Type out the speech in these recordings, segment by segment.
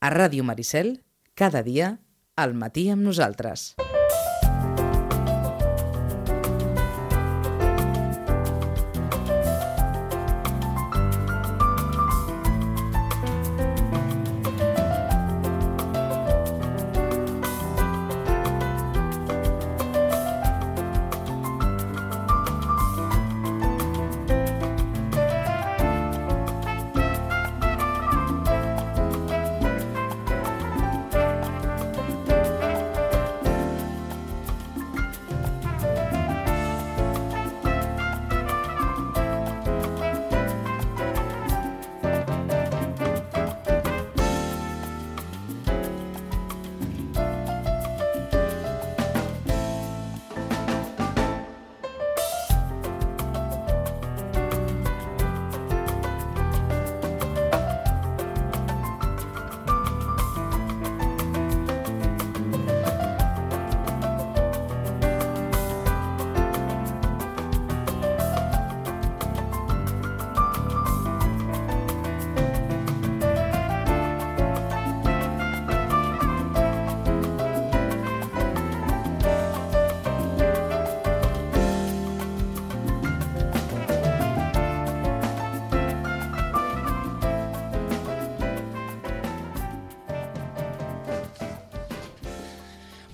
A Ràdio Maricel, cada dia, al matí amb nosaltres.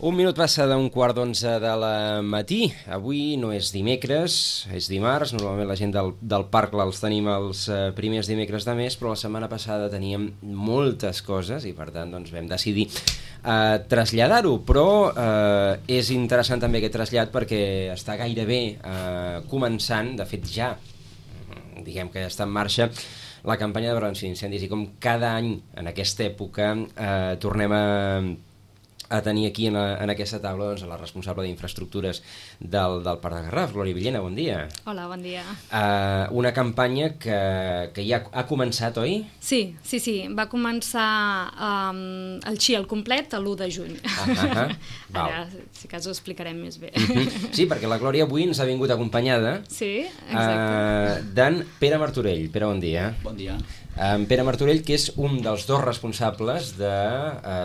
Un minut passa d'un quart d'11 de la matí. Avui no és dimecres, és dimarts. Normalment la gent del parc els tenim els primers dimecres de mes, però la setmana passada teníem moltes coses i per tant doncs, vam decidir traslladar-ho. Però és interessant també aquest trasllat perquè està gairebé començant, de fet ja, diguem que ja està en marxa, la campanya de prevenció d'incendis i com cada any en aquesta època tornem a tenir aquí en aquesta taula doncs, la responsable d'infraestructures del Parc de Garraf, Glòria Villena, bon dia. Hola, bon dia. Una campanya que ja ha començat, oi? Sí, va començar el XI al complet l'1 de juny. Ara, si cas, ho explicarem més bé. Sí, perquè la Glòria avui ens ha vingut acompanyada d'en Pere Martorell. Pere, bon dia. Bon dia. En Pere Martorell, que és un dels dos responsables de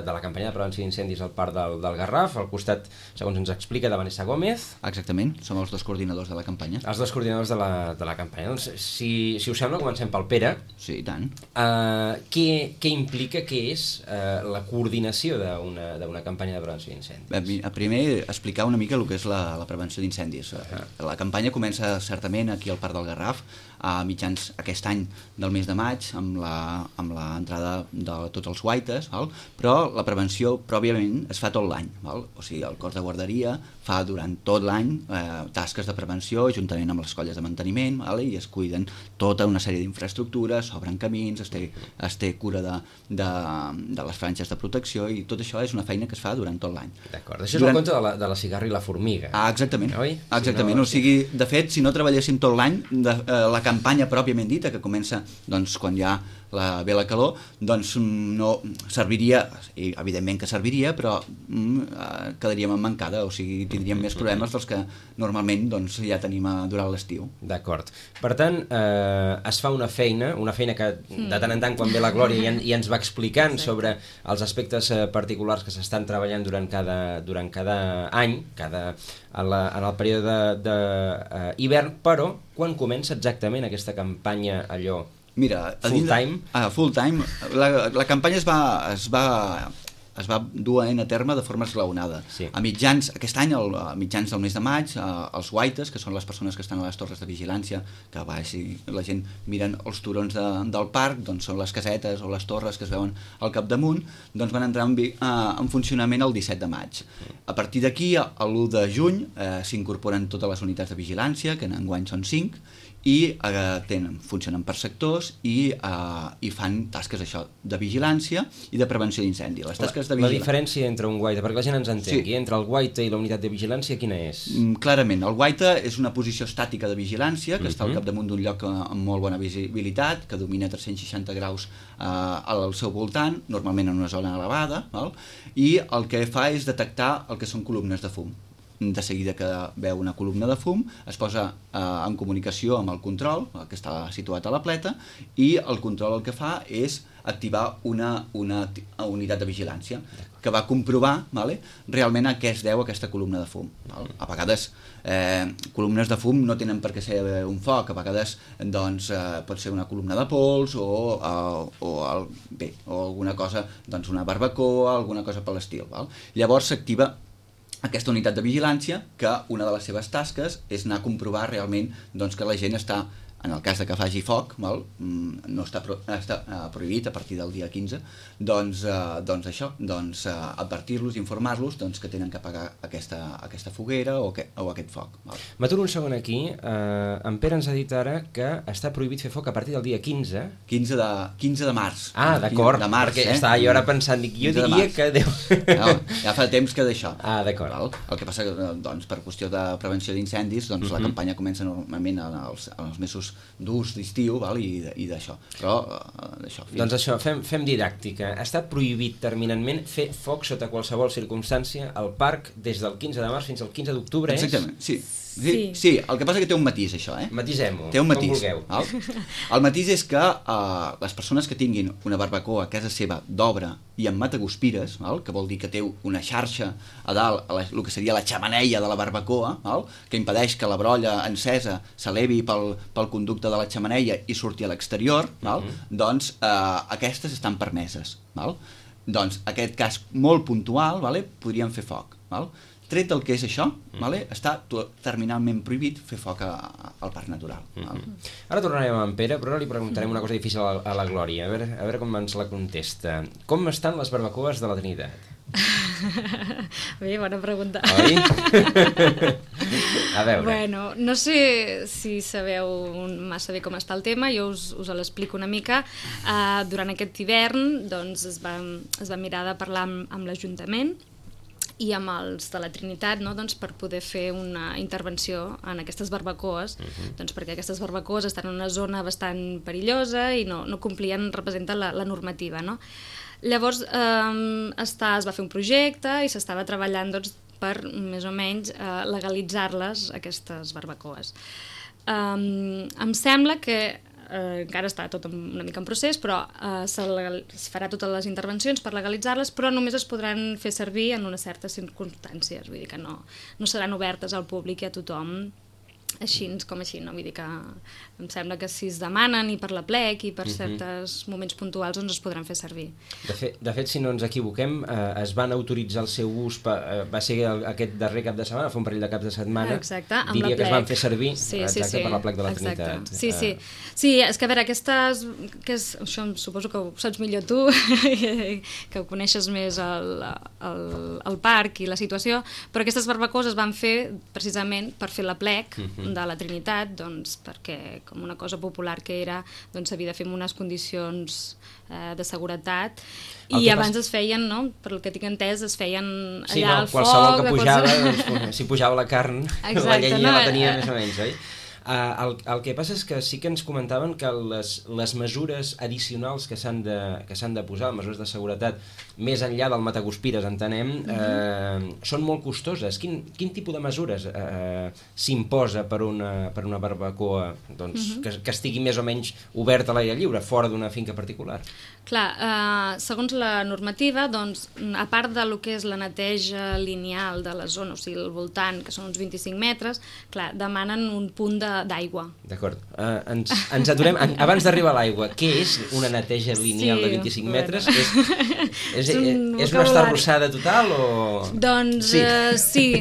la campanya de prevenció d'incendis al Parc del Garraf, al costat, segons ens explica, de Vanessa Gómez. Exactament, som els dos coordinadors de la campanya. Els dos coordinadors de la campanya. Doncs, si us sembla, comencem pel Pere. Sí, i tant. Què implica, què és la coordinació d'una campanya de prevenció d'incendis? Primer, explicar una mica el que és la prevenció d'incendis. La campanya comença certament aquí al Parc del Garraf, a mitjans aquest any del mes de maig, amb l'entrada de tots els guaites, però la prevenció pròpiament es fa tot l'any. O sigui, el cos de guarderia fa durant tot l'any tasques de prevenció juntament amb les colles de manteniment, i es cuiden tota una sèrie d'infraestructures, s'obren camins, es té cura de les franges de protecció, i tot això és una feina que es fa durant tot l'any. D'acord, això és el conte de la cigarra i la formiga. Exactament, oi? Exactament. O sigui, de fet, si no treballéssim tot l'any, la campanya pròpiament dita, que comença doncs, quan ja ve la calor, doncs no serviria, i evidentment que serviria, però quedaríem emmancada, o sigui, tindríem més problemes dels que normalment doncs, ja tenim durant l'estiu. D'acord. Per tant, es fa una feina que de tant en tant, quan ve la Glòria, ja ens va explicant sobre els aspectes particulars que s'estan treballant durant cada any, en el període d'hivern, però quan comença exactament aquesta campanya allò? Mira, full time? Full time. La campanya es va dur a terme de forma esglaonada. Sí. Aquest any, a mitjans del mes de maig, els guaites, que són les persones que estan a les torres de vigilància, que la gent miren els turons del parc, doncs són les casetes o les torres que es veuen al capdamunt, doncs van entrar en funcionament el 17 de maig. A partir d'aquí, l'1 de juny, s'incorporen totes les unitats de vigilància, que enguany són 5, i funcionen per sectors i fan tasques de vigilància i de prevenció d'incendi. La diferència entre un guaita, perquè la gent ens entengui, entre el guaita i la unitat de vigilància, quina és? Clarament, el guaita és una posició estàtica de vigilància que està al capdamunt d'un lloc amb molt bona visibilitat, que domina 360 graus al seu voltant, normalment en una zona elevada, i el que fa és detectar el que són columnes de fum. De seguida que veu una columna de fum, es posa en comunicació amb el control, que està situat a la pleta, i el control el que fa és activar una unitat de vigilància que va comprovar, vale, realment a què es deu aquesta columna de fum. Val? A vegades columnes de fum no tenen per què ser un foc, a vegades doncs, pot ser una columna de pols o alguna cosa, doncs una barbacoa, alguna cosa per l'estil. Llavors s'activa aquesta unitat de vigilància, que una de les seves tasques és anar a comprovar realment doncs, que la gent està, en el cas de que faci foc, no està prohibit a partir del dia 15, doncs això, advertir-los, informar-los que tenen que apagar aquesta foguera o aquest foc. M'aturo un segon aquí. En Pere ens ha dit ara que està prohibit fer foc a partir del dia 15. 15 de març. Ah, d'acord, perquè estava jo ara pensant, jo diria que... No, ja fa temps que d'això. Ah, d'acord. El que passa que, per qüestió de prevenció d'incendis, la campanya comença normalment als mesos durs d'estiu i d'això. Però d'això... Doncs això, fem didàctica. Està prohibit terminantment fer foc sota qualsevol circumstància al parc des del 15 de març fins al 15 d'octubre, Exactament, sí. Sí, el que passa que té un matís, això, Matisem-ho, té un matís, com vulgueu. El matís és que les persones que tinguin una barbacoa a casa seva d'obra i amb mataguspires, que vol dir que té una xarxa a dalt, el que seria la xemeneia de la barbacoa, que impedeix que la brolla encesa s'elevi pel conducte de la xemeneia i surti a l'exterior, doncs aquestes estan permeses. Doncs aquest cas molt puntual, podríem fer foc. Tret del que és això, està terminalment prohibit fer foc al parc natural. Ara tornarem amb en Pere, però ara li preguntarem una cosa difícil a la Glòria, a veure com ens la contesta. Com estan les barbacoes de la Trinitat? Bé, bona pregunta. Oi? A veure. Bueno, no sé si sabeu massa bé com està el tema, jo us l'explico una mica. Durant aquest hivern doncs, es va mirar de parlar amb l'Ajuntament i amb els de la Trinitat, doncs, per poder fer una intervenció en aquestes barbacoes, doncs, perquè aquestes barbacoes estan en una zona bastant perillosa i no representen la normativa. Llavors es va fer un projecte i s'estava treballant per més o menys legalitzar-les, aquestes barbacoes. Em sembla que encara està tot una mica en procés, però es farà totes les intervencions per legalitzar-les, però només es podran fer servir en unes certes circumstàncies, vull dir que no seran obertes al públic i a tothom així com així, no? Vull dir que em sembla que si es demanen i per la plec i per certs moments puntuals doncs es podran fer servir. De fet, si no ens equivoquem, es van autoritzar el seu ús, va ser aquest darrer cap de setmana, fa un parell de caps de setmana, diria que es van fer servir per la plec de la Trinitat. Sí, és que a veure, això suposo que ho saps millor tu, que ho coneixes més el parc i la situació, però aquestes barbacoes es van fer precisament per fer la plec de la Trinitat, doncs, perquè com una cosa popular que era, doncs s'havia de fer en unes condicions de seguretat i abans es feien, no? Per el que tinc entès, es feien allà al foc... Qualsevol que pujava, si pujava la carn, la llenya la tenia més o menys, oi? El que passa és que sí que ens comentaven que les mesures addicionals que s'han de posar, mesures de seguretat, més enllà del mataguspires, entenem, són molt costoses. Quin tipus de mesures s'imposa per una barbacoa que estigui més o menys oberta a l'aire lliure, fora d'una finca particular? Clar, segons la normativa, doncs, a part del que és la neteja lineal de la zona, o sigui, al voltant, que són uns 25 metres, clar, demanen un punt d'aigua. D'acord. Ens aturem, abans d'arribar a l'aigua, què és una neteja lineal de 25 metres? És una estarrossada total o...? Doncs sí,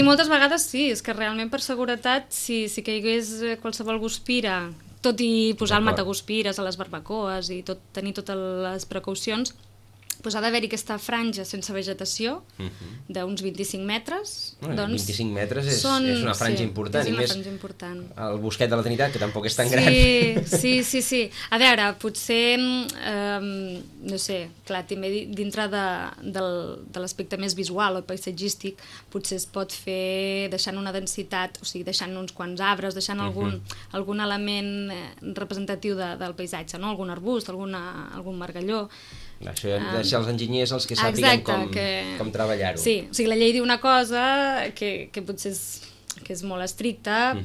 moltes vegades sí, és que realment per seguretat, si caigués qualsevol guspira, tot i posar el mataguspires a les barbacoes i tenir totes les precaucions, doncs ha d'haver-hi aquesta franja sense vegetació d'uns 25 metres. 25 metres és una franja important. És una franja important. El bosquet de la Trinitat, que tampoc és tan gran. Sí. A veure, potser, no sé, clar, també dintre de l'aspecte més visual o paisatgístic, potser es pot fer deixant una densitat, o sigui, deixant uns quants arbres, deixant algun element representatiu del paisatge, no? Algun arbust, algun margalló. Això deixa els enginyers els que sàpiguen com treballar-ho. Sí, o sigui, la llei diu una cosa que potser és molt estricta,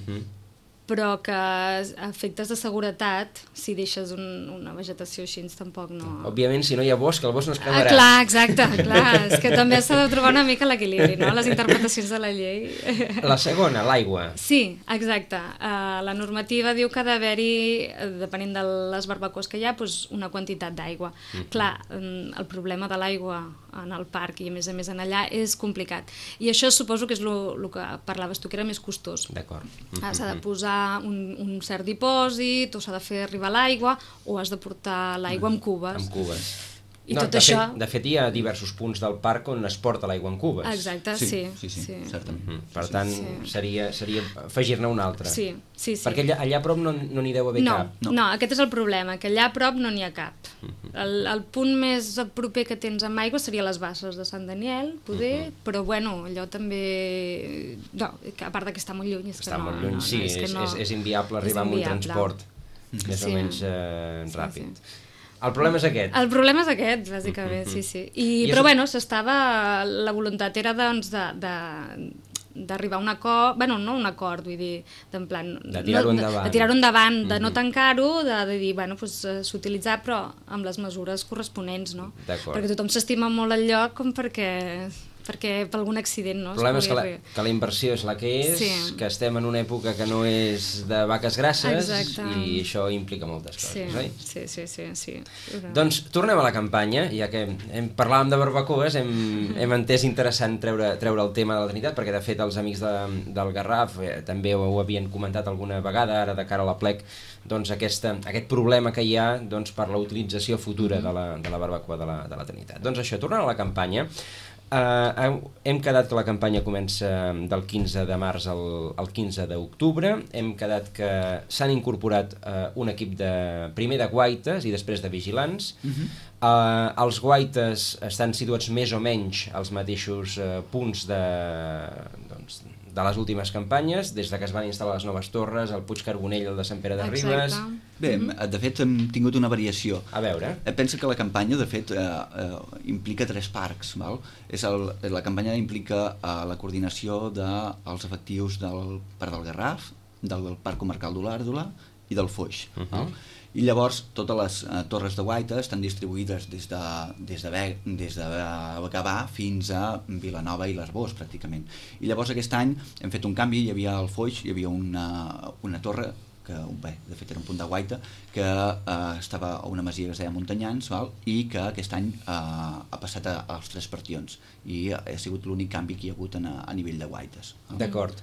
però que a efectes de seguretat, si deixes una vegetació així, tampoc no... Òbviament, si no hi ha bosc, el bosc no es cremarà. Clar, exacte, clar, és que també s'ha de trobar una mica l'equilibri, no?, les interpretacions de la llei. La segona, l'aigua. Sí, exacte. La normativa diu que ha d'haver-hi, depenent de les barbacoes que hi ha, doncs una quantitat d'aigua. Clar, el problema de l'aigua en el parc i a més en allà és complicat. I això suposo que és el que parlaves tu, que era més costós. D'acord. S'ha de posar un cert dipòsit, o s'ha de fer arribar l'aigua, o has de portar l'aigua amb cubes. Amb cubes. I tot això... De fet, hi ha diversos punts del parc on es porta l'aigua en cubes. Exacte, sí, certament. Per tant, seria afegir-ne un altre. Sí. Perquè allà a prop no n'hi deu haver cap. No, aquest és el problema, que allà a prop no n'hi ha cap. El punt més proper que tens amb aigua seria les basses de Sant Daniel, poder, però bueno, allò també... No, a part que està molt lluny. Està molt lluny, sí, és inviable arribar amb un transport més o menys ràpid. El problema és aquest. El problema és aquest, bàsicament, sí. Però bueno, la voluntat era doncs d'arribar a un acord, bueno, no un acord, vull dir, d'en plan... De tirar-ho endavant. De tirar-ho endavant, de no tancar-ho, de dir, bueno, s'utilitzar, però amb les mesures corresponents, no? D'acord. Perquè tothom s'estima molt el lloc com perquè per algun accident, no? El problema és que la inversió és la que és, que estem en una època que no és de vaques grasses. Exacte. I això implica moltes coses, oi? Sí. Doncs tornem a la campanya, ja que parlàvem de barbacoes, hem entès interessant treure el tema de la Trinitat, perquè de fet els amics del Garraf també ho havien comentat alguna vegada, ara de cara a la plec, doncs aquest problema que hi ha per la utilització futura de la barbacoa de la Trinitat. Doncs això, tornant a la campanya, hem quedat que la campanya comença del 15 de març al 15 d'octubre, hem quedat que s'han incorporat un equip primer de guaites i després de vigilants. Els guaites estan situats més o menys als mateixos punts de les últimes campanyes, des de que es van instal·lar les noves torres, el Puig Carbonell, el de Sant Pere de Ribes... Bé, de fet hem tingut una variació. A veure. Pensa que la campanya, de fet, implica 3 parcs. Val? La campanya implica la coordinació dels efectius del Parc del Garraf, del Parc Comarcal d'Olèrdola i del Foix. I llavors totes les torres de guaita estan distribuïdes des de Gavà fins a Vilanova i l'Arboç, pràcticament. I llavors aquest any hem fet un canvi, hi havia al Foix, hi havia una torre que, de fet era un punt de guaita, que estava a una masia que es deia Montanyans, i que aquest any ha passat als 3 partions, i ha sigut l'únic canvi que hi ha hagut a nivell de guaites. D'acord.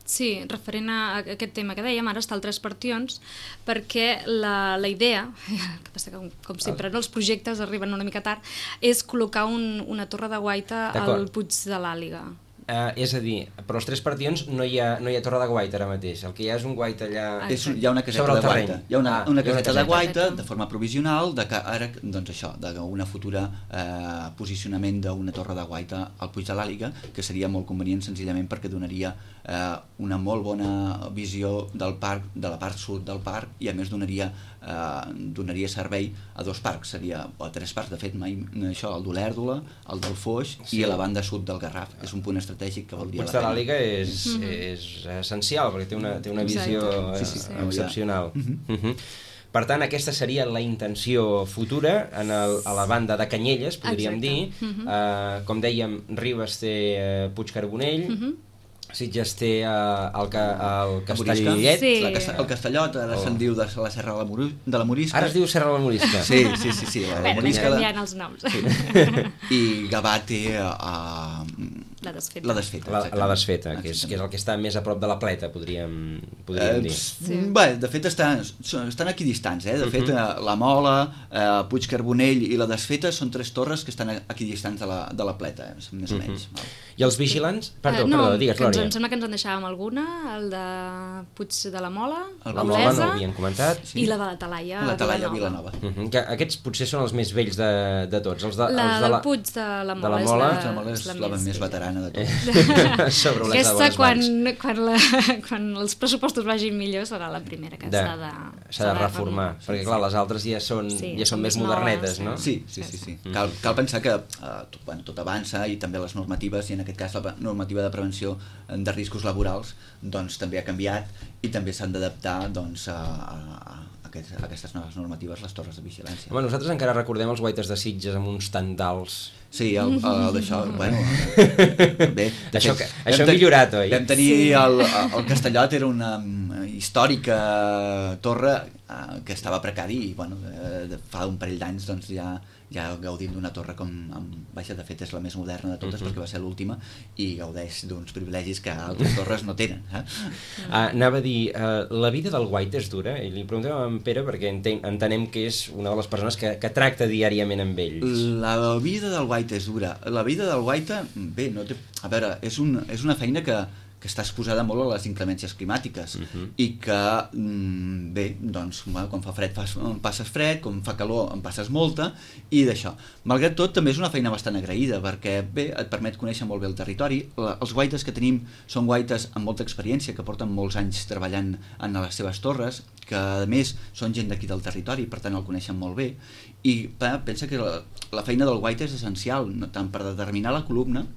Sí, referent a aquest tema que dèiem, ara està al 3 partions, perquè la idea, que passa que com sempre els projectes arriben una mica tard, és col·locar una torre de guaita al Puig de l'Àliga. És a dir, però als 3 partions no hi ha torre de guaita ara mateix, el que hi ha és un guaita allà hi ha una caseta de guaita, hi ha una caseta de guaita de forma provisional de cara, doncs això, d'una futura posicionament d'una torre de guaita al Puig de l'Àliga, que seria molt convenient senzillament perquè donaria una molt bona visió del parc, de la part sud del parc, i a més donaria servei a 2 parcs, o a 3 parcs, de fet, això, el d'Olèrdola, el del Foix i a la banda sud del Garraf. És un punt estratègic que valdria la pena. El Puig de l'Àliga és essencial, perquè té una visió excepcional. Per tant, aquesta seria la intenció futura a la banda de Canyelles, podríem dir. Com dèiem, Ribes té Puig Carbonell, Sitges té el Castellet. El Castellot, ara se'n diu de la Serra de la Morisca. Ara es diu Serra de la Morisca. Sí, la Morisca. Canviant els noms. I Gavà té la desfeta. La desfeta, que és el que està més a prop de la Pleta, podríem dir. Bé, de fet estan equidistants. De fet, la Mola, Puig Carbonell i la desfeta són 3 torres que estan equidistants de la Pleta, més o menys. I els vigilants? Perdó, digues, Glòria. Em sembla que ens en deixàvem alguna, el de Puig de la Mola, la Mola no ho havien comentat. I la de la Talaia a Vilanova. Aquests potser són els més vells de tots. La del Puig de la Mola és la més veterana. gana de tot. Sobre les Aquesta, bones mans. quan els pressupostos vagin millor, serà la primera que s'ha de reformar, perquè clar, les altres ja són més modernetes, no? Sí. Cal pensar que tot avança i també les normatives, i en aquest cas la normativa de prevenció de riscos laborals, doncs també ha canviat i també s'han d'adaptar doncs, a aquestes noves normatives, les torres de vigilància. Home, nosaltres encara recordem els guaites de Sitges amb uns tandals. Sí, d'això, bueno... Bé, això ha millorat, oi? Vam tenir el Castellot, era una històrica torre que estava precari i bueno, fa un parell d'anys doncs, ja gaudim d'una torre com... Vaja, de fet és la més moderna de totes perquè va ser l'última i gaudeix d'uns privilegis que altres torres no tenen. Anava a dir, la vida del guaita és dura? I li preguntem a en Pere perquè entenem que és una de les persones que tracta diàriament amb ells. La vida del guaita és dura. La vida del guaita, bé, no té... A veure, és una feina que està exposada molt a les inclemències climàtiques i que, bé, doncs, quan fa fred passes fred, quan fa calor en passes molta i d'això. Malgrat tot, també és una feina bastant agraïda perquè, bé, et permet conèixer molt bé el territori. Els guaites que tenim són guaites amb molta experiència, que porten molts anys treballant en les seves torres, que a més són gent d'aquí del territori, per tant el coneixen molt bé, i pensa que la feina del guaita és essencial, tant per determinar la columna.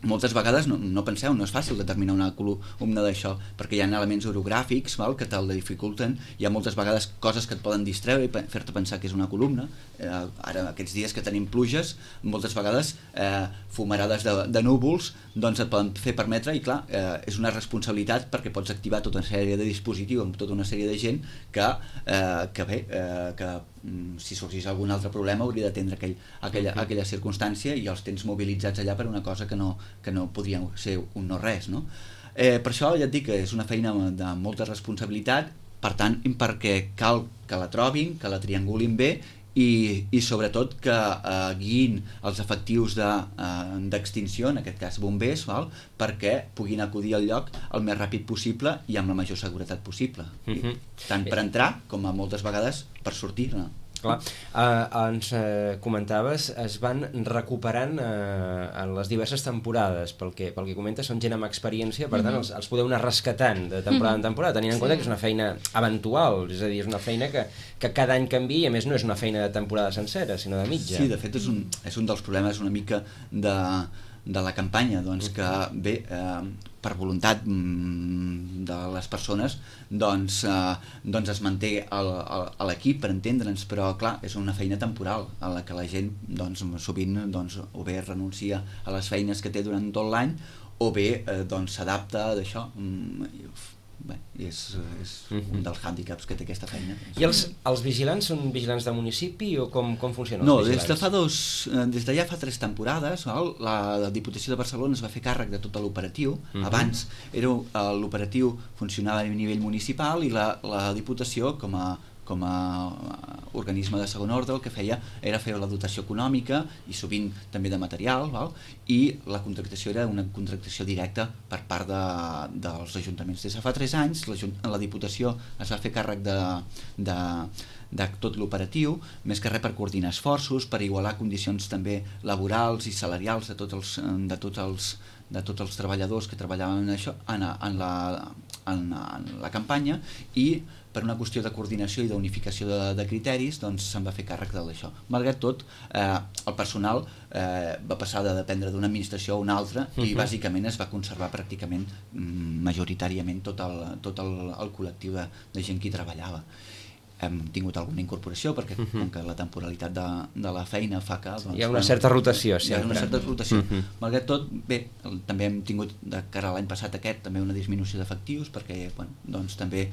Moltes vegades, no penseu, no és fàcil determinar una columna d'això, perquè hi ha elements orogràfics que te'l dificulten, hi ha moltes vegades coses que et poden distreure i fer-te pensar que és una columna. Ara, aquests dies que tenim pluges, moltes vegades fumarades de núvols, doncs et poden fer permetre, i clar, és una responsabilitat perquè pots activar tota una sèrie de dispositius amb tota una sèrie de gent que si sorgís algun altre problema hauria d'atendre aquella circumstància i els tens mobilitzats allà per una cosa que no podria ser un no res, no? Per això ja et dic que és una feina de molta responsabilitat, per tant, perquè cal que la trobin, que la triangulin bé i sobretot que guiïn els efectius d'extinció, en aquest cas bombers, perquè puguin acudir al lloc el més ràpid possible i amb la major seguretat possible, tant per entrar com a moltes vegades per sortir-ne. Clar, ens comentaves, es van recuperant en les diverses temporades, pel que comentes, són gent amb experiència, per tant els podeu anar rescatant de temporada en temporada, tenint en compte que és una feina eventual, és a dir, és una feina que cada any canvia i a més no és una feina de temporada sencera, sinó de mitja. Sí, de fet és un dels problemes una mica de la campanya, doncs que bé, per voluntat de les persones doncs es manté a l'equip, per entendre'ns, però clar, és una feina temporal a la que la gent doncs, sovint o bé renuncia a les feines que té durant tot l'any o bé s'adapta d'això. Bé, és un dels hàndicaps que té aquesta feina. I els vigilants són vigilants de municipi o com funcionen els vigilants? Des de ja fa 3 temporades, la Diputació de Barcelona es va fer càrrec de tot l'operatiu. Abans l'operatiu funcionava a nivell municipal i la Diputació com a organisme de segon ordre el que feia era fer la dotació econòmica i sovint també de material, i la contractació era una contractació directa per part dels ajuntaments. Des de fa 3 anys la Diputació es va fer càrrec de tot l'operatiu, més que res per coordinar esforços, per igualar condicions també laborals i salarials de tots els treballadors que treballaven en això, en la campanya, i per una qüestió de coordinació i d'unificació de criteris doncs se'n va fer càrrec d'això. Malgrat tot, el personal va passar de dependre d'una administració a una altra i bàsicament es va conservar pràcticament majoritàriament tot el col·lectiu de gent que hi treballava. Hem tingut alguna incorporació perquè com que la temporalitat de la feina fa que... Hi ha una certa rotació sempre. Hi ha una certa rotació. Malgrat tot, bé, també hem tingut de cara a l'any passat aquest també una disminució d'efectius perquè doncs també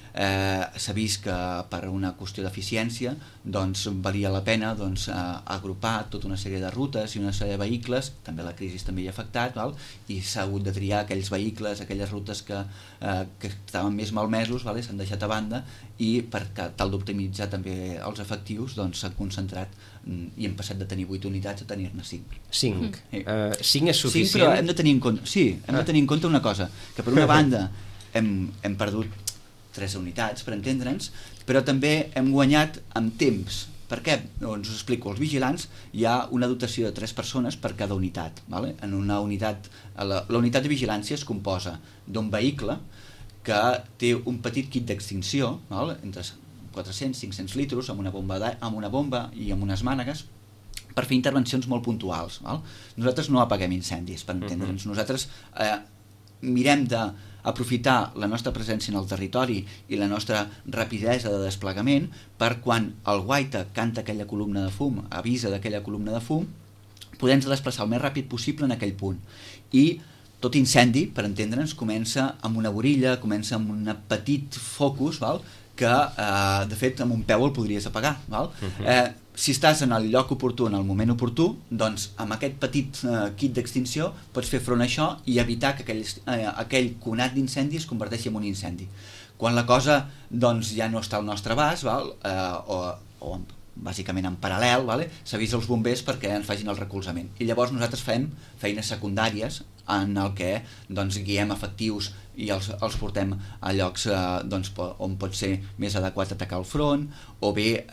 s'ha vist que per una qüestió d'eficiència doncs valia la pena agrupar tota una sèrie de rutes i una sèrie de vehicles, també la crisi també hi ha afectat, i s'ha hagut de triar aquells vehicles, aquelles rutes que estaven més malmesos, s'han deixat a banda i per tal d'optimitzar també els efectius s'han concentrat i hem passat de tenir 8 unitats a tenir-ne 5. 5? 5 és suficient? 5, però hem de tenir en compte una cosa, que per una banda hem perdut 3 unitats, per entendre'ns, però també hem guanyat en temps, Per què? Doncs us explico. Els vigilants hi ha una dotació de 3 persones per cada unitat. Vale? En una unitat, la unitat de vigilància es composa d'un vehicle que té un petit kit d'extinció, entre 400-500 litres, amb una bomba i amb unes mànegues, per fer intervencions molt puntuals. Nosaltres no apaguem incendis, per entendre'ns. Nosaltres mirem d'aprofitar la nostra presència en el territori i la nostra rapidesa de desplegament per quan el guaita canta aquella columna de fum, avisa d'aquella columna de fum, podem desplaçar el més ràpid possible en aquell punt. I tot incendi, per entendre'ns, comença amb una borilla, comença amb un petit focus, que de fet amb un peu el podries apagar. Si estàs en el lloc oportú, en el moment oportú, doncs amb aquest petit kit d'extinció pots fer front a això i evitar que aquell conat d'incendi es converteixi en un incendi. Quan la cosa doncs, ja no està al nostre abast, o bàsicament en paral·lel, s'avisa els bombers perquè ens facin el recolzament. I llavors nosaltres fem feines secundàries en el que guiem efectius i els portem a llocs on pot ser més adequat atacar el front, o bé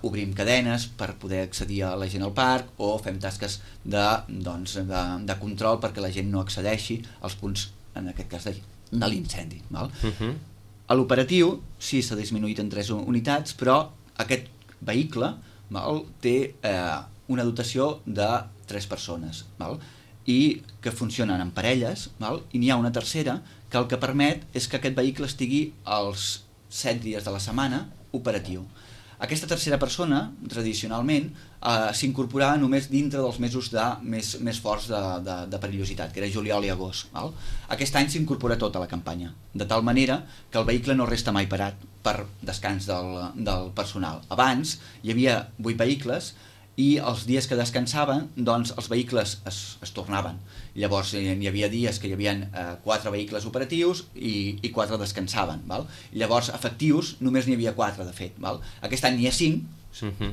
obrim cadenes per poder accedir a la gent al parc, o fem tasques de control perquè la gent no accedeixi als punts, en aquest cas, de l'incendi. A l'operatiu sí s'ha disminuït en 3 unitats, però aquest vehicle té una dotació de 3 persones i que funcionen en parelles, i n'hi ha una tercera que el que permet és que aquest vehicle estigui els 7 dies de la setmana operatiu. Aquesta tercera persona, tradicionalment, s'incorporava només dintre dels mesos més forts de perillositat, que era juliol i agost. Aquest any s'incorpora tota la campanya, de tal manera que el vehicle no resta mai parat per descans del personal. Abans hi havia 8 vehicles i els dies que descansaven, doncs els vehicles es tornaven. Llavors hi havia dies que hi havia 4 vehicles operatius i 4 descansaven. Llavors efectius només n'hi havia 4, de fet. Aquest any n'hi ha 5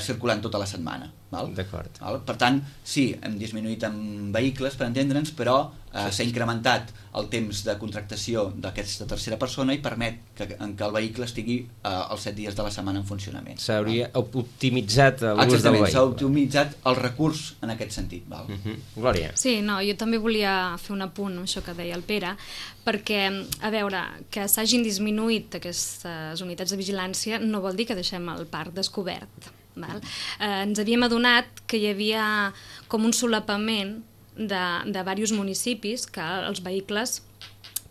circulant tota la setmana. D'acord. Per tant, sí, hem disminuït en vehicles, per entendre'ns, però s'ha incrementat el temps de contractació d'aquesta tercera persona i permet que el vehicle estigui els 7 dies de la setmana en funcionament. S'hauria optimitzat l'ús del vehicle. Exactament, s'ha optimitzat el recurs en aquest sentit. Glòria. Sí, no, jo també volia fer un apunt amb això que deia el Pere, perquè, a veure, que s'hagin disminuït aquestes unitats de vigilància no vol dir que deixem el parc descobert. Ens havíem adonat que hi havia com un solapament de diversos municipis que els vehicles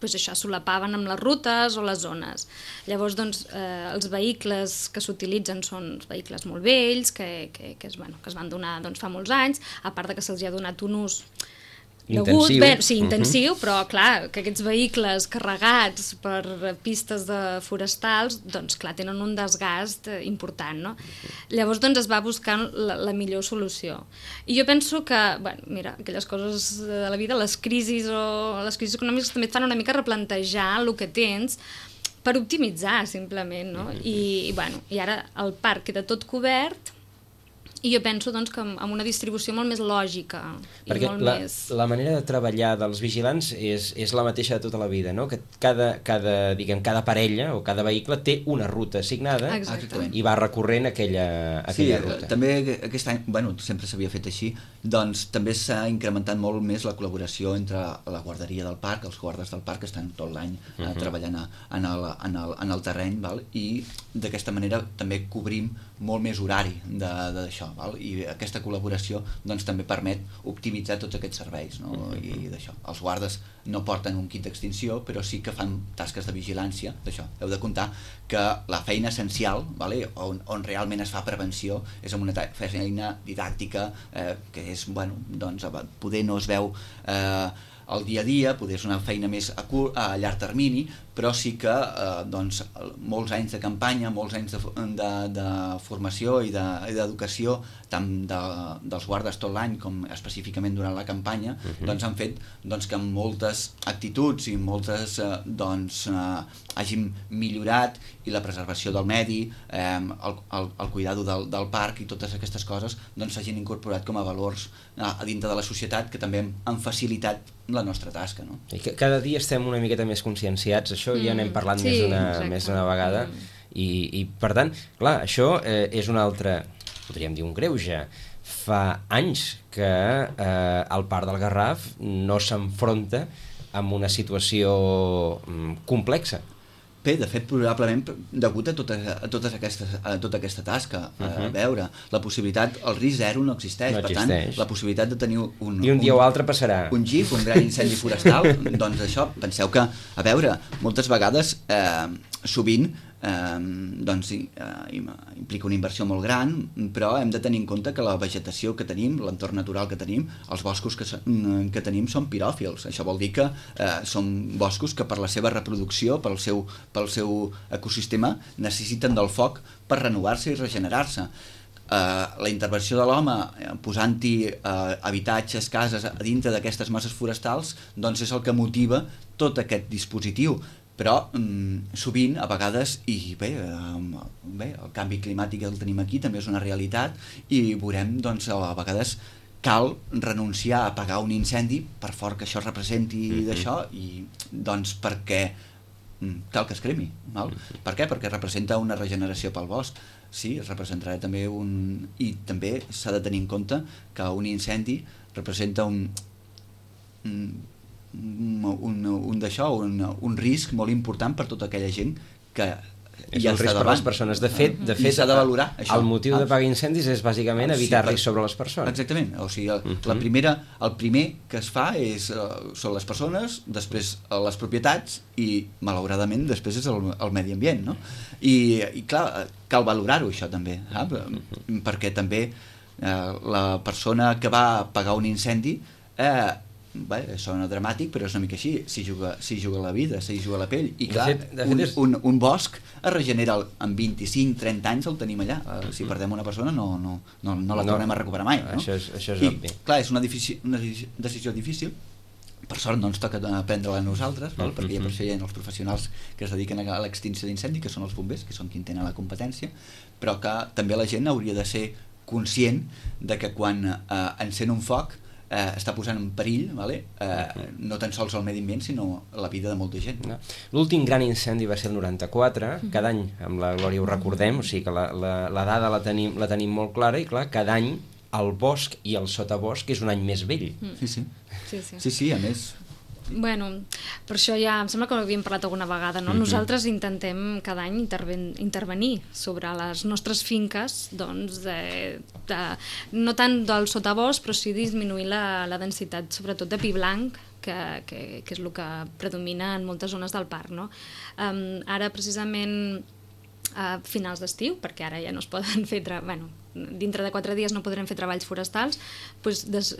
solapaven amb les rutes o les zones. Llavors, els vehicles que s'utilitzen són vehicles molt vells, que es van donar fa molts anys, a part que se'ls ha donat un ús intensiu, però clar, que aquests vehicles carregats per pistes forestals, doncs clar, tenen un desgast important, no? Llavors es va buscar la millor solució. I jo penso que, mira, aquelles coses de la vida, les crisis econòmiques també et fan una mica replantejar el que tens per optimitzar, simplement, no? I ara el parc queda tot cobert. I jo penso que amb una distribució molt més lògica. Perquè la manera de treballar dels vigilants és la mateixa de tota la vida, no? Que cada parella o cada vehicle té una ruta assignada. I va recorrent aquella ruta. Sí, també aquest any, sempre s'havia fet així, doncs també s'ha incrementat molt més la col·laboració entre la guarderia del parc, els guardes del parc que estan tot l'any treballant en el terreny, i d'aquesta manera també cobrim molt més horari d'això, i aquesta col·laboració també permet optimitzar tots aquests serveis, i d'això. Els guardes no porten un kit d'extinció, però sí que fan tasques de vigilància d'això. Heu de comptar que la feina essencial, on realment es fa prevenció, és amb una feina didàctica que és, poder no es veu el dia a dia, poder és una feina més a llarg termini, però sí que molts anys de campanya, molts anys de formació i d'educació, tant dels guardes tot l'any com específicament durant la campanya, han fet que moltes actituds i moltes hagin millorat, i la preservació del medi, el cuidado del parc i totes aquestes coses s'hagin incorporat com a valors a dintre de la societat que també han facilitat la nostra tasca. I cada dia estem una miqueta més conscienciats, això ja n'hem parlat més d'una vegada, I per tant, clar, això és un altre, podríem dir un greuge. Fa anys que el Parc del Garraf no s'enfronta amb una situació complexa. Bé, de fet, probablement degut a tota aquesta tasca. A veure, la possibilitat, el risc zero no existeix. Per tant, la possibilitat de tenir I un dia o altre passarà. Un GIF, un gran incendi forestal, doncs això, penseu que, a veure, moltes vegades, sovint, implica una inversió molt gran, però hem de tenir en compte que la vegetació que tenim, l'entorn natural que tenim, els boscos que tenim són piròfils. Això vol dir que són boscos que per la seva reproducció, pel seu ecosistema, necessiten del foc per renovar-se i regenerar-se. La intervenció de l'home posant-hi habitatges, cases a dintre d'aquestes masses forestals, doncs és el que motiva tot aquest dispositiu. Però sovint, a vegades, i bé, el canvi climàtic el tenim aquí, també és una realitat, i veurem, doncs, a vegades cal renunciar a apagar un incendi, per fort que això representi d'això, i doncs perquè cal que es cremi. Val? Per què? Perquè representa una regeneració pel bosc. Sí, es representarà també I també s'ha de tenir en compte que un incendi representa un risc molt important per tota aquella gent que és un risc per les persones. De fet, s'ha de valorar això. El motiu d'apagar incendis és bàsicament evitar-li sobre les persones. Exactament, o sigui, el primer que es fa són les persones, després les propietats i, malauradament, després és el medi ambient, no? I clar, cal valorar-ho això també, perquè també la persona que va apagar un incendi sona dramàtic, però és una mica així, s'hi juga la vida, s'hi juga la pell, i clar, un bosc es regenera en 25-30 anys, el tenim allà. Si perdem una persona no la tornem a recuperar mai, no? Això és obvi. Clar, és una decisió difícil. Per sort no ens toca prendre-la a nosaltres, perquè ja per això hi ha els professionals que es dediquen a l'extinció d'incendi, que són els bombers, que són qui tenen la competència, però que també la gent hauria de ser conscient de que quan encén un foc està posant en perill no tan sols el medi ambient, sinó la vida de molta gent. L'últim gran incendi va ser el 94, cada any amb la Glòria ho recordem, o sigui que la dada la tenim molt clara, i clar, cada any el bosc i el sotabosc és un any més vell. Sí, a més. Bueno, per això ja em sembla que ho havíem parlat alguna vegada, no? Nosaltres intentem cada any intervenir sobre les nostres finques, doncs, no tant del sotabosc, però sí disminuir la densitat, sobretot de pi blanc, que és el que predomina en moltes zones del parc, no? Ara, precisament, a finals d'estiu, perquè ara ja no es poden fer dintre de 4 dies no podrem fer treballs forestals, doncs,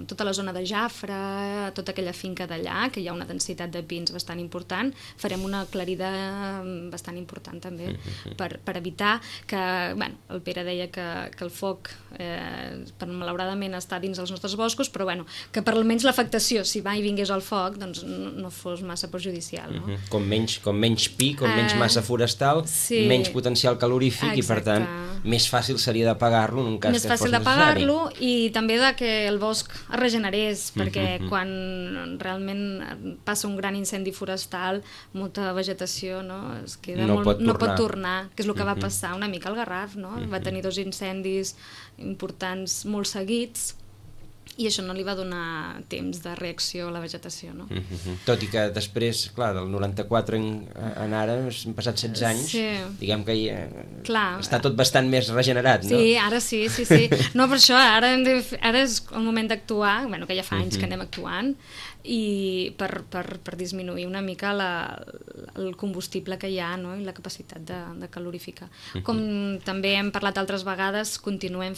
tota la zona de Jafre, tota aquella finca d'allà, que hi ha una densitat de pins bastant important, farem una aclarida bastant important també, per evitar que, el Pere deia que el foc malauradament està dins dels nostres boscos, però que per almenys l'afectació, si va i vingués el foc, doncs no fos massa perjudicial. No? Com menys pi, com menys massa forestal, menys potencial calorífic, i per tant més fàcil seria d'apagar-lo en un cas que fos necessari. Més fàcil d'apagar-lo, i també que el bosc es regenerés, perquè quan realment passa un gran incendi forestal, molta vegetació es queda no pot tornar, que és el que va passar una mica al Garraf, no? Va tenir 2 incendis importants molt seguits, i això no li va donar temps de reacció a la vegetació, no? Tot i que després, clar, del 94 en ara, han passat 16 anys, diguem que està tot bastant més regenerat, no? Sí, ara sí. No, per això, ara és el moment d'actuar, que ja fa anys que anem actuant, i per disminuir una mica el combustible que hi ha, no? I la capacitat de calorificar. Com també hem parlat altres vegades, continuem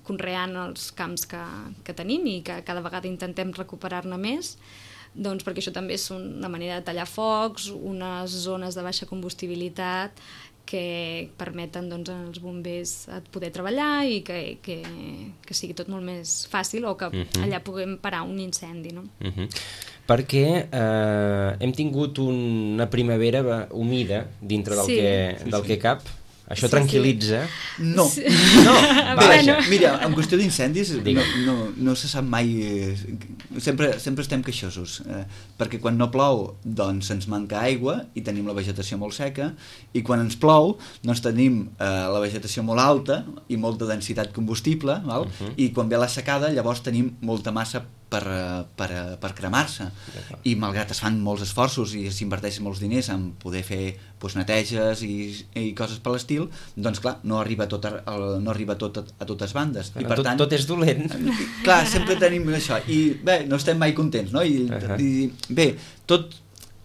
conreant els camps que tenim, i que cada vegada intentem recuperar-ne més, doncs perquè això també és una manera de tallar focs, unes zones de baixa combustibilitat que permeten als bombers poder treballar i que sigui tot molt més fàcil, o que allà puguem parar un incendi, no? Perquè hem tingut una primavera humida dintre del que cap, Això tranquil·litza? No. No, Bé, mira, en qüestió d'incendis no se sap mai... Sempre estem queixosos, perquè quan no plou doncs ens manca aigua i tenim la vegetació molt seca, i quan ens plou doncs tenim la vegetació molt alta i molta densitat combustible, val? I quan ve la secada llavors tenim molta massa per cremar-se, i malgrat es fan molts esforços i s'inverteixen molts diners en poder fer neteges i coses per l'estil, doncs clar, no arriba tot a totes bandes, i per tant tot és dolent. Clar, sempre tenim això, i bé, no estem mai contents, no? I bé, tot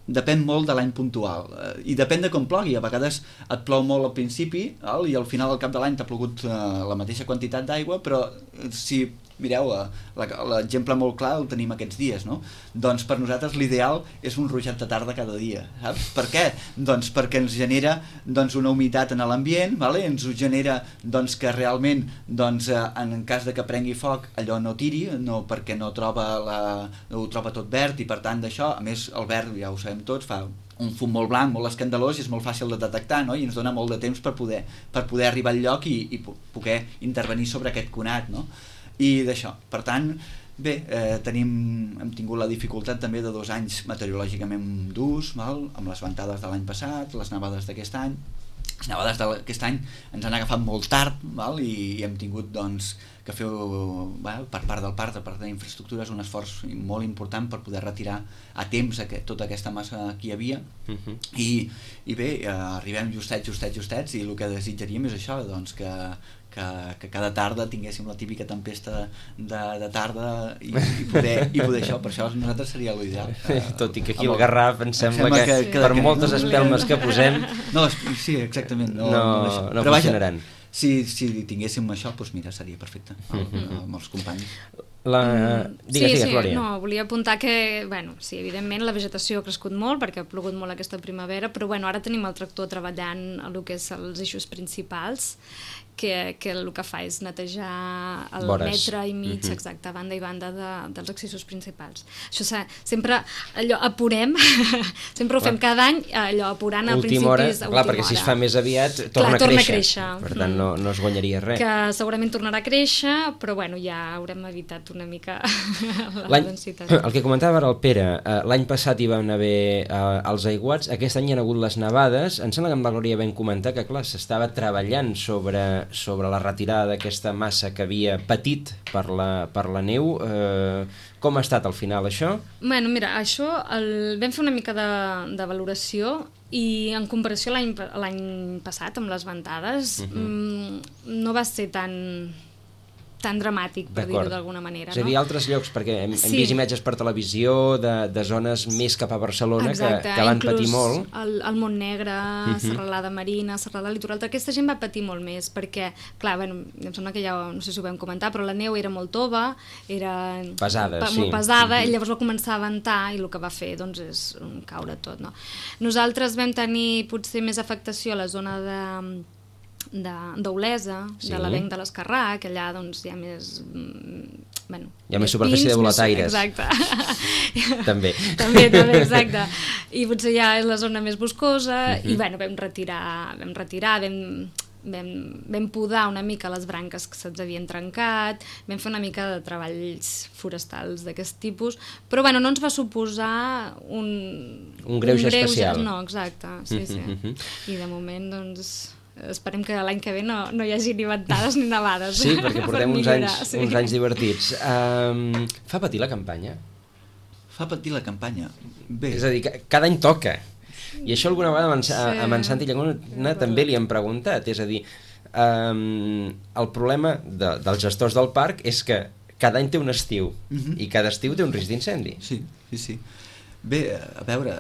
depèn molt de l'any puntual, i depèn de com plogui. A vegades et plou molt al principi i al final, al cap de l'any, t'ha plogut la mateixa quantitat d'aigua, però si mireu, l'exemple molt clar el tenim aquests dies, no? Doncs per nosaltres l'ideal és un ruixat de tarda cada dia, saps? Per què? Doncs perquè ens genera una humitat en l'ambient, vale? Ens ho genera que realment en cas de que prengui foc allò no tiri, no, perquè no ho troba tot verd, i per tant d'això, a més el verd, ja ho sabem tots, fa un fum molt blanc, molt escandalós, i és molt fàcil de detectar, no? I ens dona molt de temps per poder arribar al lloc i poder intervenir sobre aquest conat, no? I d'això, per tant, bé, hem tingut la dificultat també de 2 anys meteorològicament durs, amb les ventades de l'any passat, les nevades d'aquest any. Les nevades d'aquest any ens han agafat molt tard, i hem tingut que fer per part del parc, per part d'infraestructures, un esforç molt important per poder retirar a temps tota aquesta massa que hi havia, i bé, arribem justets, i el que desitjaríem és això, que cada tarda tinguéssim la típica tempesta de tarda i poder això, per això a nosaltres seria l'ideal. Tot i que aquí al Garraf em sembla que per moltes espelmes que posem sí, exactament, no funcionaran. Si tinguéssim això, doncs mira, seria perfecte amb els companys. Digues, Glòria. No, volia apuntar que, sí, evidentment la vegetació ha crescut molt perquè ha plogut molt aquesta primavera, però ara tenim el tractor treballant a el que és els eixos principals, que el que fa és netejar el metre i mig, exacte, banda i banda dels accessos principals. Això sempre allò apurem, sempre ho fem cada any, allò apurant a principis última hora, perquè si es fa més aviat torna a créixer. Per tant no es guanyaria res. Que segurament tornarà a créixer, però ja haurem evitat una mica la densitat. El que comentava ara el Pere, l'any passat hi van haver els aiguats, aquest any hi ha hagut les nevades. Em sembla que amb la Glòria vam comentar que clar, s'estava treballant sobre la retirada d'aquesta massa que havia patit per la neu. Com ha estat al final això? Mira, això vam fer una mica de valoració, i en comparació a l'any passat amb les ventades no va ser tan dramàtic, per dir-ho d'alguna manera. És a dir, altres llocs, perquè hem vist imatges per televisió de zones més cap a Barcelona que van patir molt. El Montnegre, Serralada Marina, Serralada Litoral, aquesta gent va patir molt més, perquè, clar, em sembla que ja, no sé si ho vam comentar, però la neu era molt tova, era molt pesada, i llavors va començar a ventar, i el que va fer és caure tot. Nosaltres vam tenir potser més afectació a la zona d'Olesa, de l'avenc de l'Escarrà, que allà hi ha més... hi ha més superfície de volataires. Exacte. També, exacte. I potser ja és la zona més boscosa, i vam retirar, vam podar una mica les branques que se'ns havien trencat, vam fer una mica de treballs forestals d'aquest tipus, però no ens va suposar un greuge especial. No, exacte, sí. I de moment, esperem que l'any que ve no hi hagi ni ventades ni nevades. Sí, perquè portem uns anys divertits. Fa patir la campanya? Fa patir la campanya? Bé. És a dir, cada any toca. I això alguna vegada a en Santi Llaguna també li han preguntat. És a dir, el problema dels gestors del parc és que cada any té un estiu i cada estiu té un risc d'incendi. Sí. Bé, a veure,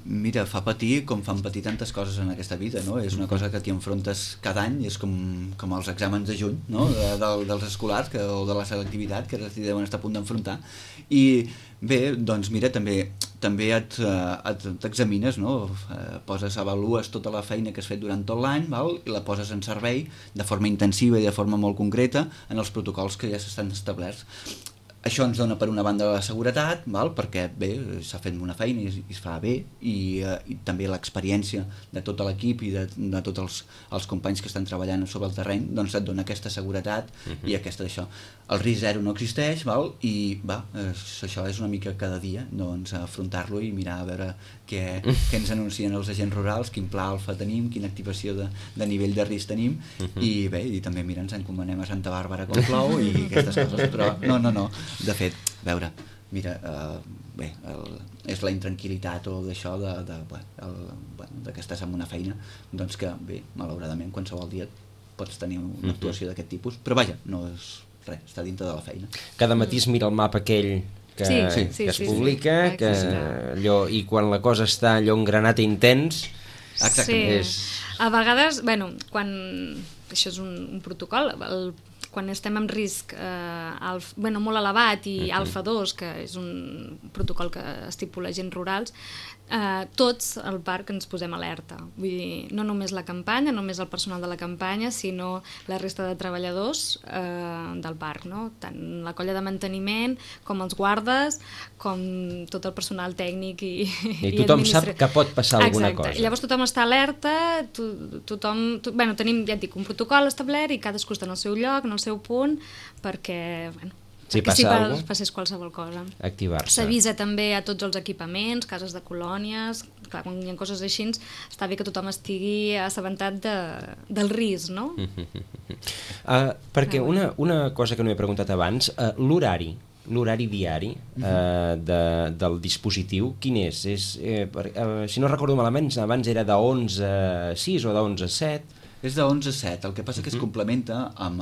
mira, fa patir com fan patir tantes coses en aquesta vida, no? És una cosa que t'hi enfrontes cada any, és com els exàmens de juny, no? dels escolars o de la selectivitat, que t'hi deuen estar a punt d'enfrontar. I bé, doncs mira, també t'examines, no? Avalues tota la feina que has fet durant tot l'any, i la poses en servei de forma intensiva i de forma molt concreta en els protocols que ja s'estan establerts. Això ens dona per una banda la seguretat, val? Perquè bé, s'ha fet una feina i es fa bé, i també l'experiència de tot l'equip i de tots els companys que estan treballant sobre el terreny, doncs et dona aquesta seguretat i aquesta d'això. El risc zero no existeix, val? I això és una mica cada dia, doncs afrontar-lo i mirar a veure què ens anuncien els agents rurals, quin pla alfa tenim, quina activació de nivell de risc tenim, i bé, i també mira, ens encomanem a Santa Bàrbara com plou i aquestes coses, però no. De fet, a veure, mira, bé, és la intranquil·litat o d'això que estàs en una feina, doncs que, bé, malauradament, qualsevol dia pots tenir una actuació d'aquest tipus, però vaja, no és res, està dintre de la feina. Cada matí es mira el mapa aquell que es publica, i quan la cosa està allò engranat i intens... Exactament. A vegades, bueno, quan... Això és un protocol, quan estem en risc molt elevat i alfa 2, que és un protocol que estipula agents rurals, tots al parc ens posem alerta. Vull dir, no només la campanya, no només el personal de la campanya, sinó la resta de treballadors del parc, no? Tant la colla de manteniment, com els guardes, com tot el personal tècnic i tothom sap que pot passar alguna cosa. Llavors tothom està alerta, tenim, ja et dic, un protocol establert i cadascú està en el seu lloc, en el seu punt, perquè si passés qualsevol cosa. Activar-se. S'avisa també a tots els equipaments, cases de colònies, clar, quan hi ha coses així, està bé que tothom estigui assabentat del risc, no? Perquè una cosa que no he preguntat abans, l'horari diari del dispositiu, quin és? Si no recordo malament, abans era de 11 a 6 o de 11 a 7... És de 11 a 7, el que passa que es complementa amb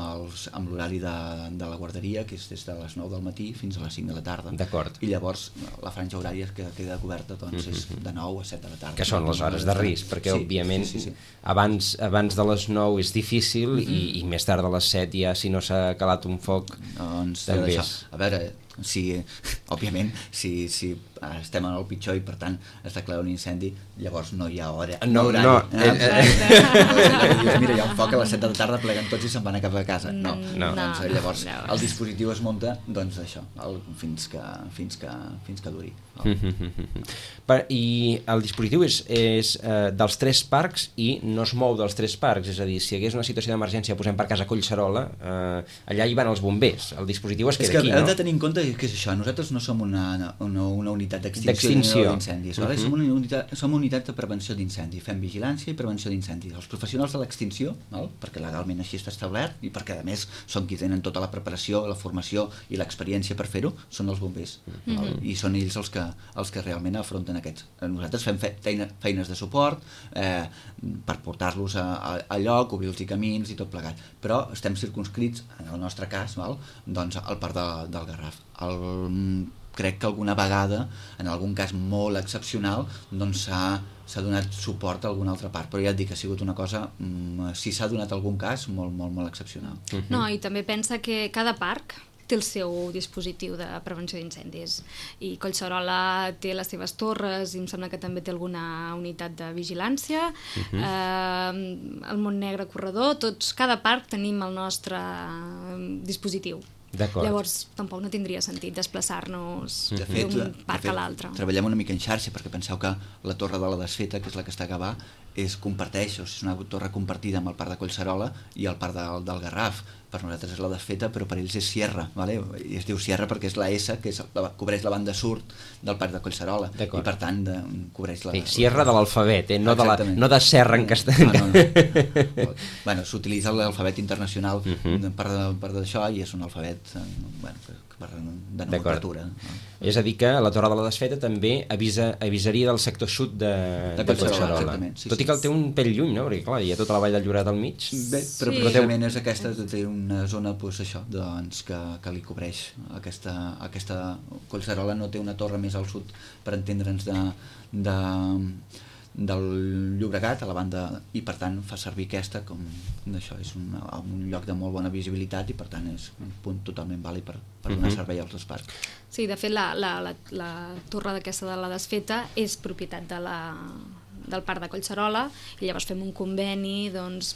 l'horari de la guarderia, que és des de les 9 del matí fins a les 5 de la tarda. D'acord. I llavors la franja horària que queda coberta doncs, és de 9 a 7 de la tarda. Que són les hores de risc, perquè òbviament abans de les 9 és difícil i més tard de les 7 ja, si no s'ha calat un foc, doncs, també és... A veure, òbviament, si estem en el pitjor i per tant es declara un incendi, llavors no hi ha hora, mira, hi ha un foc a les 7 de la tarda, pleguen tots i se'n van a cap a casa. Doncs llavors el dispositiu es munta, doncs això, fins que duri. I el dispositiu és dels 3 parcs i no es mou dels 3 parcs, és a dir, si hi hagués una situació d'emergència, posem per casa Collserola, allà hi van els bombers, el dispositiu es queda aquí, no? Hem de tenir en compte que és això, nosaltres no som una unitat d'extinció d'incendis, som una unitat de prevenció d'incendi, fem vigilància i prevenció d'incendis. Els professionals de l'extinció, perquè legalment així està establert i perquè a més són qui tenen tota la preparació, la formació i l'experiència per fer-ho, són els bombers, i són ells els que realment afronten aquests. Nosaltres fem feines de suport per portar-los a lloc, obrir-los camins i tot plegat, però estem circunscrits, en el nostre cas, doncs al parc del Garraf. Crec que alguna vegada, en algun cas molt excepcional, doncs s'ha donat suport a alguna altra part, però ja et dic que ha sigut una cosa, si s'ha donat algun cas, molt, molt, molt excepcional. No, i també pensa que cada parc té el seu dispositiu de prevenció d'incendis i Collserola té les seves torres i em sembla que també té alguna unitat de vigilància, el Montnegre Corredor, cada parc tenim el nostre dispositiu. Llavors tampoc no tindria sentit desplaçar-nos d'un parc a l'altre. Treballem una mica en xarxa perquè penseu que la torre de la Desfeta, que és la que està a Gavà, comparteix, és una torre compartida amb el parc de Collserola i el parc del Garraf. Per nosaltres és la Desfeta, però per ells és Sierra, i es diu Sierra perquè és la S, que cobreix la banda sud del parc de Collserola, i per tant cobreix la... Sierra de l'alfabet, no de serra en castellà. Bueno, s'utilitza l'alfabet internacional per d'això i és un alfabet de nomenclatura. És a dir que la Torre de la Desfeta també avisaria del sector sud de Collserola. Tot i que el té un pèl lluny, no? Perquè clar, hi ha tota la vall del Lloret al mig. Bé, però precisament és aquesta, té una zona que li cobreix. Aquesta Collserola no té una torre més al sud, per entendre'ns, del Llobregat a la banda, i per tant fa servir aquesta com d'això, és un lloc de molt bona visibilitat i per tant és un punt totalment vàlid per donar servei als dos parcs. Sí, de fet la torre d'aquesta de la Desfeta és propietat del parc de Collserola i llavors fem un conveni doncs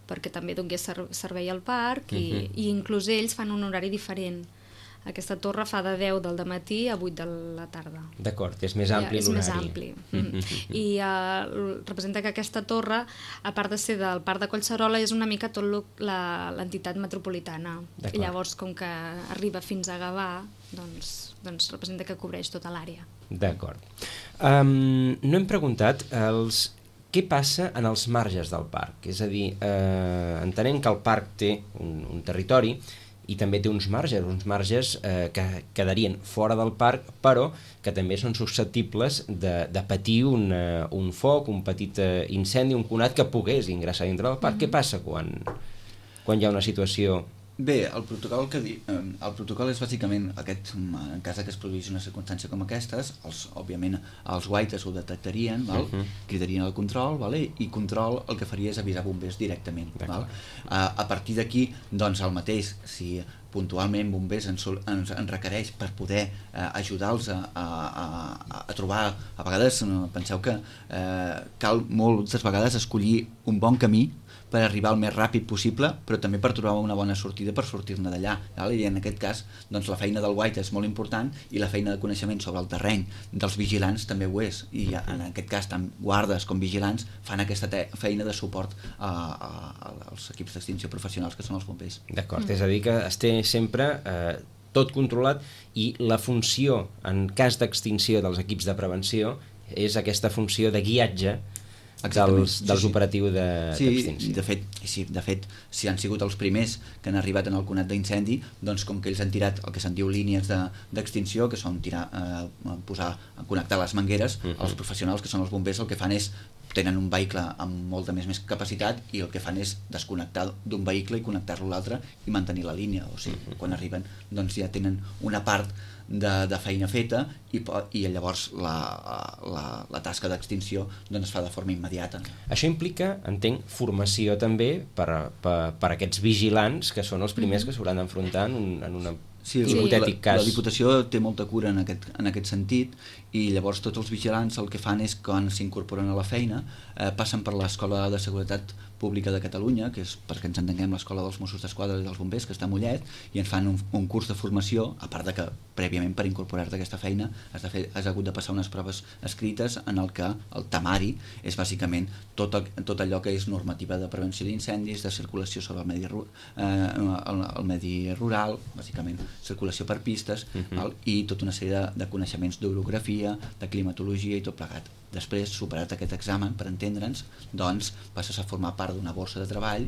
perquè també donés servei al parc i inclús ells fan un horari diferent Aquesta torre fa de 10 del matí a 8 de la tarda. D'acord, és més ampli l'horari. És més ampli. I representa que aquesta torre, a part de ser del Parc de Collserola, és una mica tot l'entitat metropolitana. I llavors, com que arriba fins a Gavà, doncs representa que cobreix tota l'àrea. D'acord. No hem preguntat què passa en els marges del parc. És a dir, entenent que el parc té un territori i també té uns marges que quedarien fora del parc, però que també són susceptibles de patir un foc, un petit incendi, un conat que pogués ingressar dintre del parc. Què passa quan hi ha una situació? Bé, el protocol és bàsicament aquest, en cas que es produís una circumstància com aquestes, òbviament els guaites ho detectarien, cridarien el control, i control el que faria és avisar bombers directament. A partir d'aquí, doncs el mateix, si puntualment bombers ens requereix per poder ajudar-los a trobar, a vegades penseu que cal moltes vegades escollir un bon camí per arribar el més ràpid possible, però també per trobar una bona sortida per sortir-ne d'allà. I en aquest cas, doncs, la feina del guaita és molt important i la feina de coneixement sobre el terreny dels vigilants també ho és. I en aquest cas, tant guardes com vigilants fan aquesta feina de suport als equips d'extinció professionals que són els bombers. D'acord, és a dir que es té sempre tot controlat i la funció, en cas d'extinció dels equips de prevenció, és aquesta funció de guiatge dels operatius d'extinció. De fet, si han sigut els primers que han arribat en el conat d'incendi, doncs com que ells han tirat el que se'n diu línies d'extinció, que són connectar les mangueres, els professionals, que són els bombers, el que fan és tenen un vehicle amb molta més capacitat i el que fan és desconnectar d'un vehicle i connectar-lo a l'altre i mantenir la línia. O sigui, quan arriben doncs ja tenen una part de feina feta i llavors la tasca d'extinció es fa de forma immediata. Això implica, entenc, formació també per aquests vigilants que són els primers que s'hauran d'enfrontar en un hipotètic cas. La Diputació té molta cura en aquest sentit i llavors tots els vigilants el que fan és quan s'incorporen a la feina passen per l'Escola de Seguretat Pública de Catalunya, que és, perquè ens entenguem, l'Escola dels Mossos d'Esquadra i dels Bombers, que està a Mollet, i ens fan un curs de formació, a part de que prèviament per incorporar-te a aquesta feina has hagut de passar unes proves escrites en el que el temari és bàsicament tot allò que és normativa de prevenció d'incendis, de circulació sobre el medi rural, bàsicament circulació per pistes, i tota una sèrie de coneixements d'orografia, de climatologia i tot plegat. Després, superat aquest examen, per entendre'ns, doncs passes a formar part d'una borsa de treball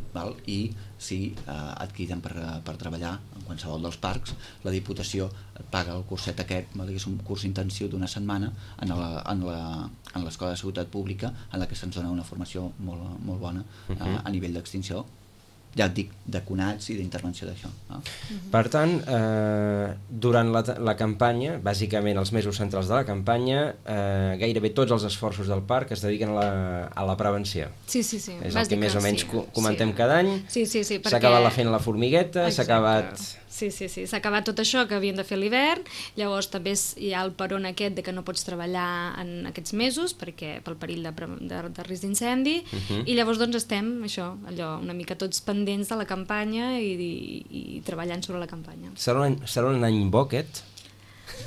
i si et criden per treballar en qualsevol dels parcs, la Diputació et paga el curset aquest, que és un curs intensiu d'una setmana en l'Escola de Seguretat Pública, en la que se'ns dona una formació molt bona a nivell d'extinció, ja et dic, de conats i d'intervenció d'això. Per tant, durant la campanya, bàsicament els mesos centrals de la campanya, gairebé tots els esforços del parc es dediquen a la prevenció. Sí. És el que més o menys comentem cada any. S'ha acabat la feina a la formigueta, s'ha acabat... Sí, s'ha acabat tot això que havien de fer a l'hivern, llavors també hi ha el peron aquest de que no pots treballar en aquests mesos pel perill de risc d'incendi, i llavors doncs estem una mica tots pendents de la campanya i treballant sobre la campanya. Serà un any bo aquest?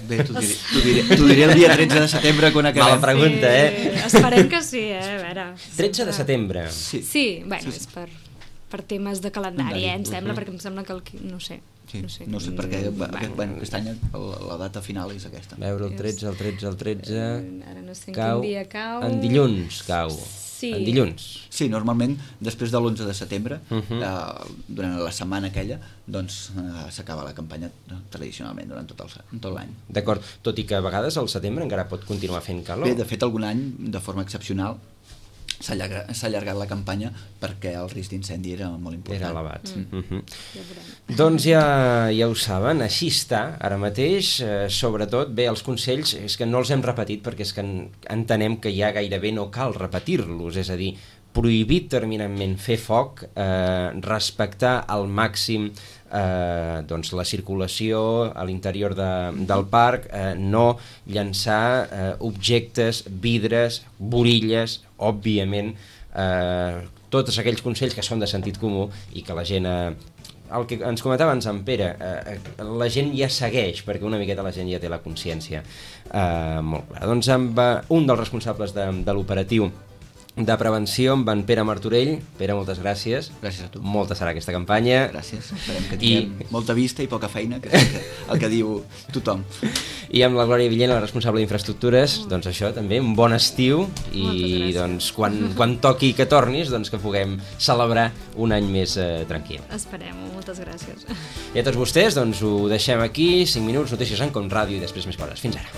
Bé, t'ho diré el dia 13 de setembre quan acabem. Mala pregunta, Esperem que sí, a veure. 13 de setembre? Sí, bueno, és per temes de calendari, em sembla, perquè em sembla que no sé. No sé perquè aquest any la data final és aquesta. Veure el 13, ara no sé en quin dia cau. En dilluns cau. En dilluns. Sí, normalment després de l'11 de setembre, durant la setmana aquella, doncs s'acaba la campanya tradicionalment durant tot l'any. D'acord, tot i que a vegades al setembre encara pot continuar fent calor. Bé, de fet algun any, de forma excepcional, s'ha allargat la campanya perquè el risc d'incendi era molt important. Era elevat. Doncs ja ho saben, així està ara mateix, sobretot, bé, els consells és que no els hem repetit perquè és que entenem que ja gairebé no cal repetir-los, és a dir, prohibit terminantment fer foc, respectar al màxim la circulació a l'interior del parc, no llançar objectes, vidres, borilles, òbviament, tots aquells consells que són de sentit comú i que la gent el que ens comentava en Pere, la gent ja segueix, perquè una miqueta la gent ja té la consciència molt clara. Doncs amb un dels responsables de l'operatiu de prevenció, amb en Pere Martorell. Pere, moltes gràcies. Gràcies a tu. Molta serà aquesta campanya. Gràcies. Esperem que tinguem molta vista i poca feina, que és el que diu tothom. I amb la Glòria Villena, la responsable d'infraestructures, doncs això també, un bon estiu i doncs quan toqui que tornis, doncs que puguem celebrar un any més tranquil. Esperem-ho, moltes gràcies. I a tots vostès, doncs ho deixem aquí, 5 minuts, notícies en Com Ràdio i després més coses. Fins ara.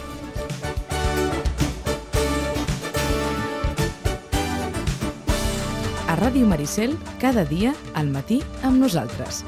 A Ràdio Maricel, cada dia al matí amb nosaltres.